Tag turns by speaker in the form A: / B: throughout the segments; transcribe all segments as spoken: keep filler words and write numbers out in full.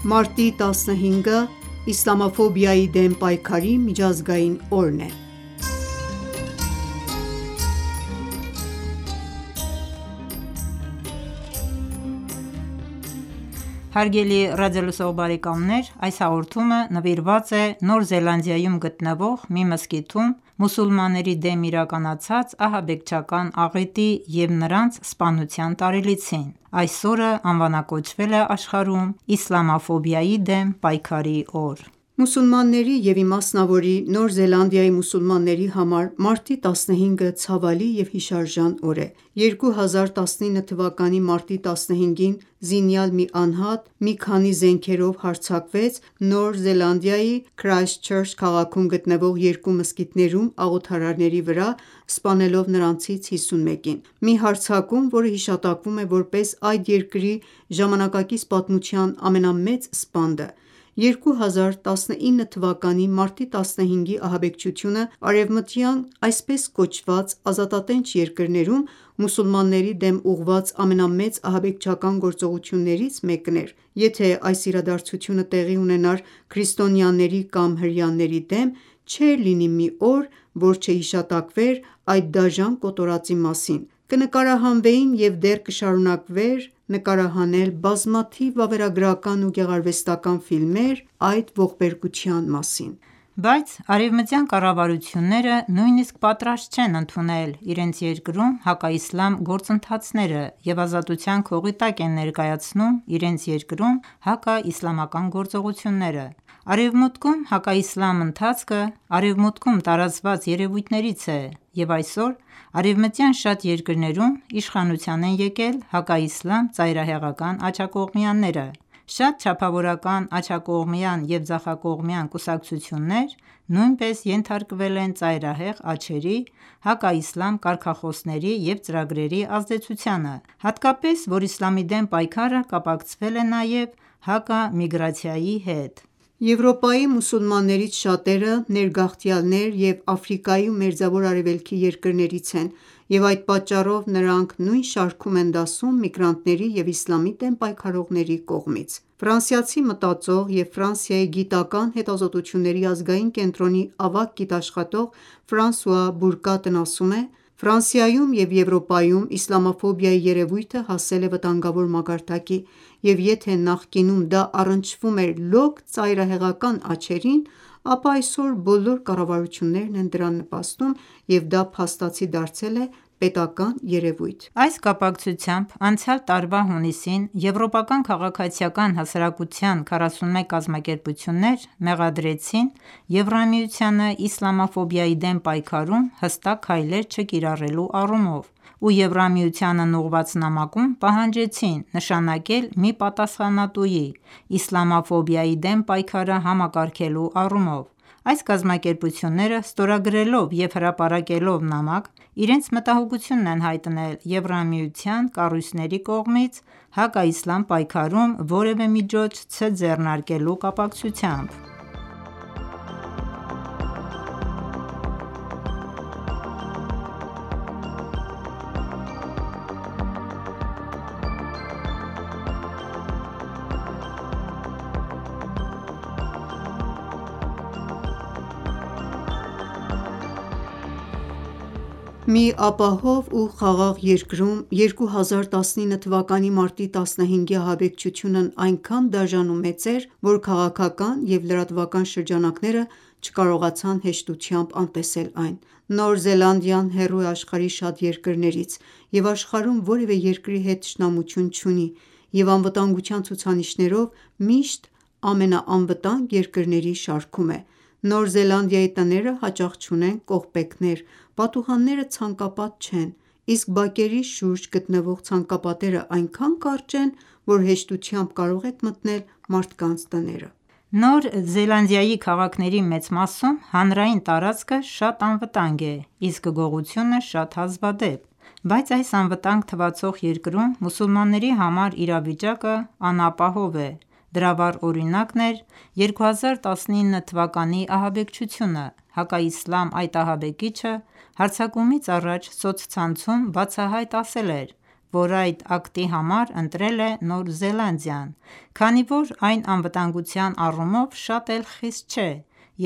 A: Մարտի տասնհինգը իսլամաֆոբիայի դեմ պայքարի միջազգային օրն է։
B: Հարգելի ռադիոլսող բարեկամներ, այս հաղորդումը նվիրված է Նոր Զելանդիայում գտնվող մի մզկիթում մուսուլմանների դեմ իրականացած ահաբեկչական աղետի և նրանց սպանության տարելիցին։ Այս օրը անվանակոչվել է աշխարհում Իսլամաֆոբիայի դեմ պայքարի օր։
A: Մուսուլմանների և իմասնավորի Նոր Զելանդիայի մուսուլմանների համար մարտի տասնհինգը ցավալի և հիշարժան օր է։ երկու հազար տասնինը թվականի մարտի տասնհինգին զինյալ մի անհատ մի քանի զենքերով հարձակվեց Նոր Զելանդիայի Քրայսթչըրչ քաղաքում գտնվող երկու մզկիթներում աղոթարարների վրա, սպանելով նրանցից հիսունմեկին։ Մի հարձակում, որը հիշատակվում է որպես այդ երկրի ժամանակակից պատմության ամենամեծ սպանդը։ երկու հազար տասնինը թվականի մարտի տասնհինգի ահաբեկչությունը արևմտյան այսպես կոչված ազատատենչ երկրներում մուսուլմանների դեմ ուղղված ամենամեծ ահաբեկչական գործողություններից մեկն էր։ Եթե այս իրադարձությունը տեղի ունենար քրիստոնյաների կամ հրեաների դեմ, չէր լինի մի օր, որ չհիշատակվեր այդ դաժան կոտորածի մասին, կնկարահանվեին և դեռ կշարունակվեր նկարահանել բազմաթիվ վավերագրական ու գեղարվեստական ֆիլմեր այդ ողբերգության մասին։
B: Բայց արևմտյան կառավարությունները նույնիսկ պատրաստ չեն ընդունել իրենց երկրում հակաիսլամ գործընթացները և ազատության քողի տակ են ներկայացնում իրենց երկրում հակաիսլամական գործողությունները։ Արևմուտքում հակաիսլամ ընթացքը արևմուտքում տարածված երևույթներից է, և այսօր արևմտյան շատ երկրներում իշխանության են եկել հակաիսլամ ծայրահեղական աջակողմյաները։ Շատ չափավորական աջակողմյան և ձախակողմյան կուսակցություններ նույնպես ենթարկվել են ծայրահեղ աջերի, հակաիսլամ կարգախոսների և ծրագրերի ազդեցությանը, հատկապես, որ իսլամի դեմ պայքարը կապակցվել է նաև հակամիգրացիայի հետ։
A: Եվրոպայի մուսուլմաններից շատերը ներգաղթյալներ և Աֆրիկայի ու Մերձավոր Արևելքի երկրներից են, և այդ պատճառով նրանք նույն շարքում են դասում միգրանտների և իսլամի դեմ պայքարողների կողմից։ Ֆրանսիացի մտածող և Ֆրանսիայի գիտական հետազոտությունների ազգային կենտրոնի ավագ գիտաշխատող Ֆրանսուଆ Բուրկատն ասում է. «Ֆրանսիայում և Եվրոպայում իսլամաֆոբիայի երևույթը հասել է վտանգավոր մակարդակի, և եթե նախկինում դա առնչվում էր լոկ ծայրահեղական աջերին, ապա այսօր բոլոր կառավարություններն են դրան նպաստում, և դա փաստացի դարձել է պետական երևույթ»։
B: Այս կապակցությամբ անցյալ տարվա հունիսին Եվրոպական քաղաքացիական հասարակության քառասունմեկ կազմակերպություններ մեղադրեցին Եվրամիությանը իսլամաֆոբիայի դեմ պայքարում հստակ քայլեր չկիրառելու առումով, ու Եվրամիությանն ուղղված նամակում պահանջեցին նշանակել մի պատասխանատուի՝ իսլամաֆոբիայի դեմ պայքարը համակարգելու առումով։ Այս կազմակերպությունները ստորագրելով և հրապարակելով նամակ, իրենց մտահոգությունն են հայտնել Եվրամիության կառույցների կողմից հակաիսլամ պայքարում որևէ միջոց չձեռնարկելու կապակցությամբ։
A: Մի ապահով ու խաղաղ երկրում երկու հազար տասնինը թվականի մարտի տասնհինգի ահաբեկչությունն այնքան դաժան ու մեծ էր, որ քաղաքական և լրատվական շրջանակները չկարողացան հեշտությամբ անտեսել այն։ Նոր Զելանդիան հեռու է աշխարհի շատ երկրներից, և աշխարհում որևէ երկրի հետ թշնամություն չունի, և անվտանգության ցուցանիշներով միշտ ամենաանվտանգ երկրների շարքում է։ Նոր Զելանդիայի տները հաճախ չունեն կողպեքներ, պատուհանները ցանկապատ չեն, իսկ բակերի շուրջ գտնվող ցանկապատերը այնքան կարճ են, որ հեշտությամբ կարող եք մտնել մարդկանց տները։
B: Նոր Զելանդիայի քաղաքների մեծ մասում հանրային տարածքը շատ անվտանգ է, իսկ գողությունը շատ հազվադեպ, բայց այս անվտանգ թվացող երկրում մուսուլմանների համար իրավիճակը անապահով է։ Դրա վառ օրինակն էր երկու հազար տասնինը թվականի ահաբեկչությունը։ Հակաիսլամ այդ ահաբեկիչը հարձակումից առաջ սոցցանցում բացահայտ ասել էր, որ այդ ակտի համար ընտրել է Նոր Զելանդիան, քանի որ այն անվտանգության առումով շատ էլ խիստ չէ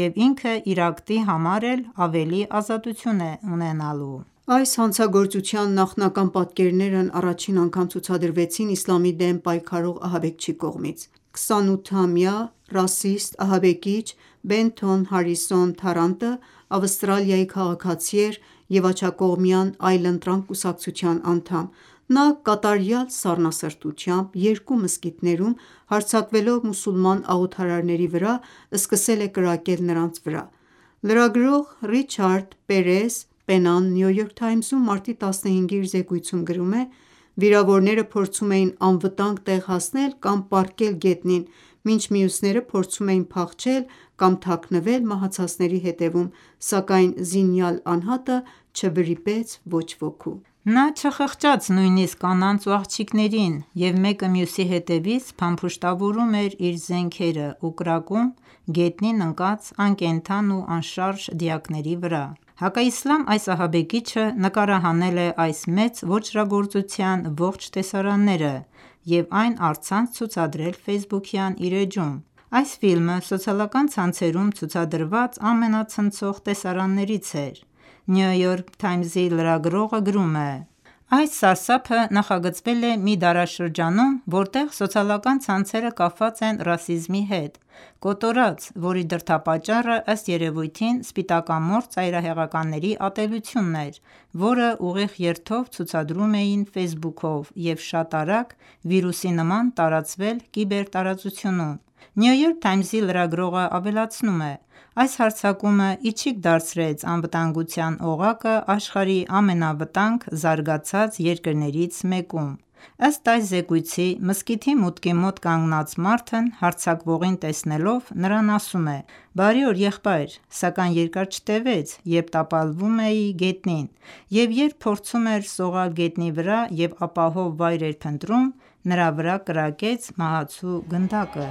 B: և ինքը իր ակտի համար էլ ավելի ազատություն է ունենալու:
A: Այս հանցագործության նախնական պատկերներն առաջին անգամ ցուցադրվեցին իսլամի դեմ պայքարող ահաբեկչի կողմից: քսանութամյա ռասիստ ահաբեկիչ Բենթոն Հարիսոն Թարանտը Ավստրալիայի քաղաքացի էր և աջակողմյան այլընտրանք կուսակցության անդամ: Նա կատարյալ սառնասրտությամբ երկու մզկիթներում հարձակվելով մուսուլման աղոթարարների վրա սկսել է կրակել նրանց վրա: Լրագրող Ռիչարդ Պերես Պենան New York Times-ում մարտի տասնհինգի իր զեկույցում գրում է. «Վիրավորները փորձում էին անվտանգ տեղ հասնել կամ պառկել գետնին, մինչ մյուսները փորձում էին փախչել կամ թաքնվել մահացածների հետևում, սակայն զինյալ անհատը չվրիպեց ոչ ոքու»:
B: Նա չխղճաց նույնիսկ կանանց ու աղջիկներին և մեկը մյուսի հետևից փամփուշտավորում էր իր զենքերը ու կրակում գետնին ընկած անկենդան ու անշարժ դիակների վրա: Հակաիսլամ այս ահաբեկիչը նկարահանել է այս մեծ ոճրագործության ողջ տեսարանները և այն առցանց ցուցադրել ֆեյսբուքյան իր էջում: Այս ֆիլմը սոցիալական ցանցերում ցուցադրված ամենացնցող տեսարաններից էր: New York Times-ի լրագրողը գրում է. «Այս սարսափը նախագծվել է մի դարաշրջանում, որտեղ սոցիալական ցանցերը կապված են ռասիզմի հետ: Կոտորած, որի դրդապատճառը ըստ երևույթին սպիտակամորթ ծայրահեղականների ատելությունն էր, որը ուղիղ երթով ցուցադրում էին ֆեյսբուքով և շատ արագ վիրուսի նման տարածվել կիբերտարածությունում»: New York Times-ի լրագրողը ավելացնում է. «Այս հարձակումը ի չիք դարձրեց անվտանգության օղակը աշխարհի ամենավտանգ զարգացած երկրներից մեկում»: Ըստ այս զեկույցի մզկիթի մուտքի մոտ կանգնած մարդն հարձակվողին տեսնելով նրան ասում է. «Բարի օր եղբայր, սակայն երկար չտևեց, երբ տապալվում էի գետնին և երբ փորձում էր սողալ գետնի վրա և ապահով վայր էր փնտրում, նրա վրա կրակեց մահացու գնդակը»: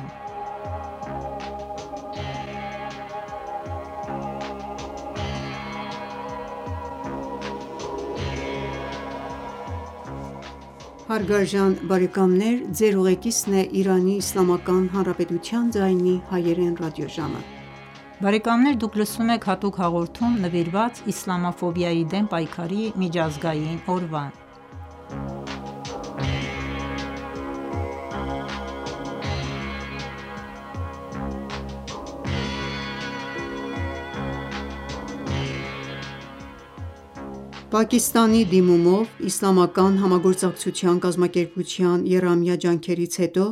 A: Պակիստանի դիմումով Իսլամական համագործակցության կազմակերպության եռամյա ջանքերից հետո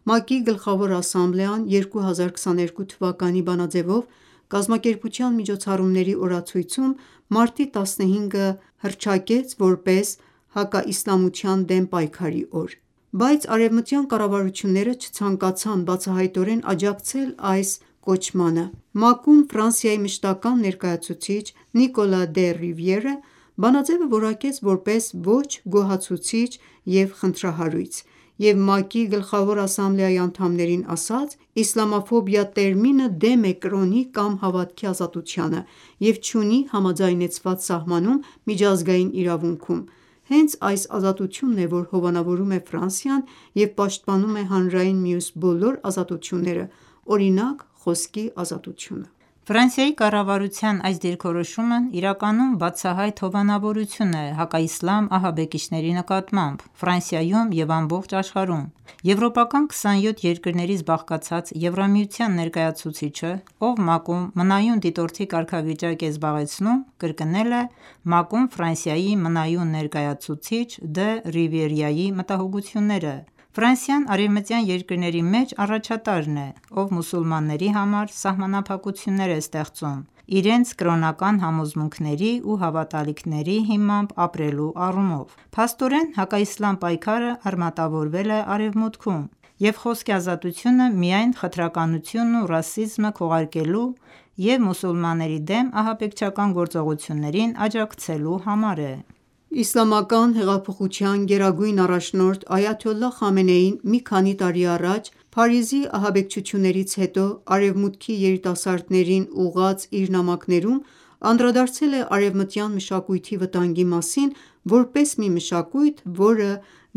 A: ՄԱԿ-ի Գլխավոր ասամբլեան երկու հազար քսաներկու թվականի բանաձևով կազմակերպության միջոցառումների օրացույցում մարտի տասնհինգը հռչակեց որպես հակաիսլամության դեմ պայքարի օր: Բայց արևմտյան կառավարությունները չցանկացան բացահայտորեն աջակցել այս կոչմանը: ՄԱԿ-ում Ֆրանսիայի մշտական ներկայացուցիչ Նիկոլա դե Ռիվիերը բանաձևը որակեց որպես ոչ գոհացուցիչ և խնդրահարույց և ՄԱԿ-ի Գլխավոր ասամբլեայի անդամներին ասաց. «Իսլամաֆոբիա տերմինը դեմ է կրոնի կամ հավատքի ազատությանը և չունի համաձայնեցված սահմանում միջազգային իրավունքում: Հենց այս ազատությունն է, որ հովանավորում է Ֆրանսիան և պաշտպանում է հանրային մյուս բոլոր ազատությունները, օրինակ՝ խոսքի ազատությունը»:
B: Ֆրանսիայի կառավարության այս դիրքորոշումն իրականում բացահայտ հովանավորություն է հակաիսլամ ահաբեկիչների նկատմամբ Ֆրանսիայում և ամբողջ աշխարհում: Եվրոպական քսանյոթ երկրներից բաղկացած Եվրամիության ներկայացուցիչը, ով ՄԱԿ-ում մնայուն դիտորդի կարգավիճակ է զբաղեցնում, կրկնել է ՄԱԿ-ում Ֆրանսիայի մնայուն ներկայացուցիչ Դը Ռիվիերայի մտահոգությունները: Ֆրանսիան արևմտյան երկրների մեջ առաջատարն է, ով մուսուլմանների համար սահմանափակություններ է ստեղծում իրենց կրոնական համոզմունքների ու հավատալիքների հիմամբ ապրելու առումով: Փաստորեն հակաիսլամ պայքարը արմատավորվել է Արևմուտքում և խոսքի ազատությունը միայն խտրականությունն ու ռասիզմը քողարկելու և մուսուլմանների դեմ ահաբեկչական գործողություններին աջակցելու համար է:
A: Իսլամական հեղափոխության գերագույն առաջնորդ Այաթոլլահ Խամենեին մի քանի տարի առաջ Փարիզի ահաբեկչություններից հետո Արևմուտքի երիտասարդներին ուղղած իր նամակներում անդրադարձել է արևմտյան մշակույթի վտանգի մասին, որպես մի մշակույթ, որը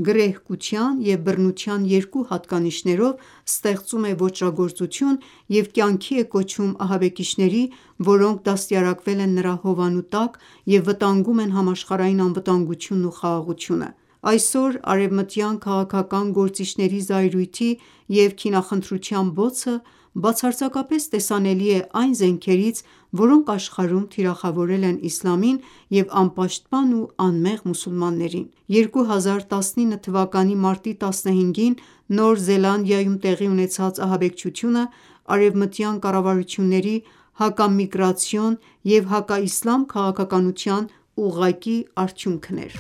A: գռեհկության և բռնության երկու հատկանիշներով ստեղծում է ոճրագործություն և կյանքի է կոչում ահաբեկիչների, որոնք դաստիարակվել են նրա հովանու տակ և վտանգում են համաշխարհային անվտանգությունն ու խաղաղությունը: Այսօր արևմտյան քաղաքական գործիչների զայրույթի և քինախնդրության բոցը բացարձակապես տեսանելի է այն զենքերից, որոնք աշխարհում թիրախավորել են իսլամին և անպաշտպան ու անմեղ մուսուլմաններին: երկու հազար տասնինը թվականի մարտի տասնհինգին Նոր Զելանդիայում տեղի ունեցած ահաբեկչությունը արևմտյան կառավարությունների հակամիգրացիոն և հակաիսլամ քաղաքականության ուղղակի արդյունքն էր: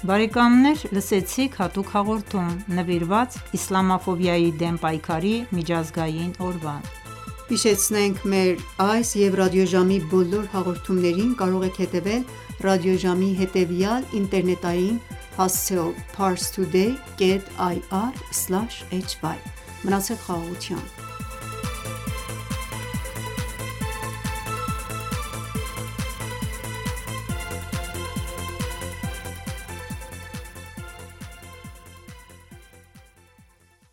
B: Բարեկամներ լսեցիք հատուկ հաղորդում նվիրված իսլամաֆոբիայի դեմ պայքարի միջազգային օրվան:
A: Հիշեցնենք մեր այս և ռադիոժամի բոլոր հաղորդումներին կարող եք հետևել ռադիոժամի հետևյալ ինտերնետային հասցեով՝ parstoday կետ այ առ սլաշ էչ վայ: Մնացեք խաղաղությամբ: